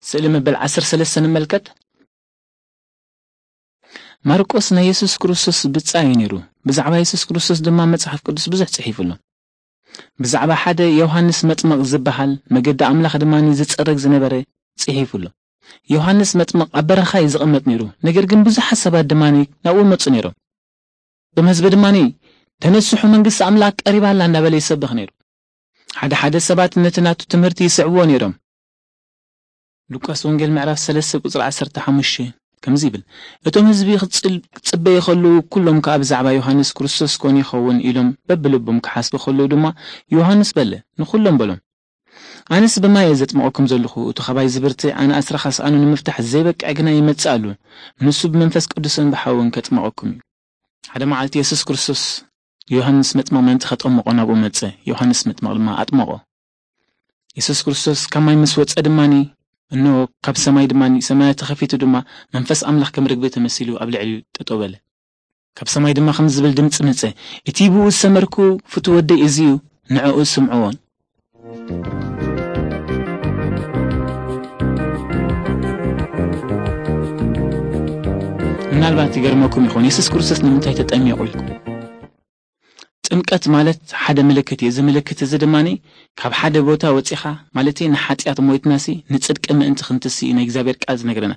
ስእሊ መበል ዓሰርተ ሰለስተ ንመልከት። ማርቆስ ናይ የሱስ ክርስቶስ ብጻይ እዩ ነይሩ። ብዛዕባ የሱስ ክርስቶስ ድማ መጽሓፍ ቅዱስ ብዙሕ ጽሒፉ ኣሎ። ብዛዕባ ሓደ ዮሃንስ መጥመቕ ዝበሃል፣ መገዲ ኣምላኽ ድማ ዝጸረግ ዝነበረ ጽሒፉ ኣሎ። ዮሃንስ መጥመቕ ኣብ በረኻ እዩ ዝቕመጥ ነይሩ፣ ነገር ግን ብዙሓት ሰባት ድማ ናብኡ መጹ ነይሮም። እቶም ህዝቢ ድማ፣ "ተነስሑ፣ መንግስቲ ኣምላኽ ቀሪባ ኣላ" እንዳበለ ይሰብኽ ነይሩ። ሓደ ሓደ ሰባት ነቲ ናቱ ትምህርቲ ይስዕብዎ ነይሮም። ሉቃስ ወንጌል ምዕራፍ ሰለስተ ቁጽሪ ዓሰርተ ሓሙሽተ ከምዚ ይብል፣ "እቶም ህዝቢ ክጽል-፣ ክጽበዩ ከለዉ፣ ኩሎም ከኣ ብዛዕባ ዮሃንስ ክርስቶስ ኮን ይኸውን ኢሎም በብልቦም ክሓስቡ ከለዉ ድማ፣ ዮሃንስ በለ፣ ንኹሎም በሎም፣ ኣነስ ብማይ እየ ዘጥምቐኩም ዘለኹ፣ እቱ ኻባይ ዝብርትዕ ኣነ ኣስራኻ ስኣኑ ንምፍታሕ ዘይበቅዕ ግና ይመጽእ ኣሎ፣ ንሱ ብመንፈስ ቅዱስን ብሓውን ከጥምቐኩም እዩ።" ሓደ መዓልቲ የሱስ ክርስቶስ ዮሃንስ መጥምቕ ምእንቲ ከጠምቖ ናብኡ መጸ። ዮሃንስ መጥምቕ ድማ ኣጥመቖ። የሱስ ክርስቶስ ካብ ማይ ምስ ወጸ ድማኒ፣ እንሆ፣ ካብ ሰማይ ድማኒ፣ ሰማያት ተኸፊቱ ድማ፣ መንፈስ ኣምላኽ ከም ርግቢ ተመሲሉ ኣብ ልዕሊኡ ጠጠው በለ። ካብ ሰማይ ድማ ከም ዝብል ድምጺ መጸ፣ "እቲ ብኡ ዝሰመርኩ ፍቱው ወደይ እዚ እዩ፣ ንዕኡ ስምዕዎን።" ምናልባት ይገርመኩም ይኸውን፣ የሱስ ክርስቶስ ንምንታይ ተጠሚቑ ኢልኩም። ጥምቀት ማለት ሓደ ምልክት እዩ። እዚ ምልክት እዚ ድማ ካብ ሓደ ቦታ ወጺኻ፣ ማለት ንሓጢኣት ሞይትናሲ ንጽድቂ ምእንቲ ክንትሲ እዩ ናይ እግዚኣብሔር ቃል ዝነግረና።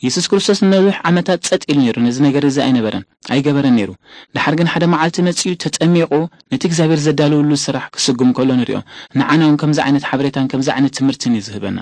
የሱስ ክርስቶስ ንነዊሕ ዓመታት ጸጥ ኢሉ ነይሩ፣ ነዚ ነገር እዚ ኣይነበረን፣ ኣይገበረን ነይሩ። ደሓር ግን ሓደ መዓልቲ መጺኡ ተጠሚቑ፣ ነቲ እግዚኣብሔር ዘዳለወሉ ስራሕ ክስጉም ከሎ ንሪኦ። ንዓና እውን ከምዚ ዓይነት ሓበሬታን ከምዚ ዓይነት ትምህርትን እዩ ዝህበና።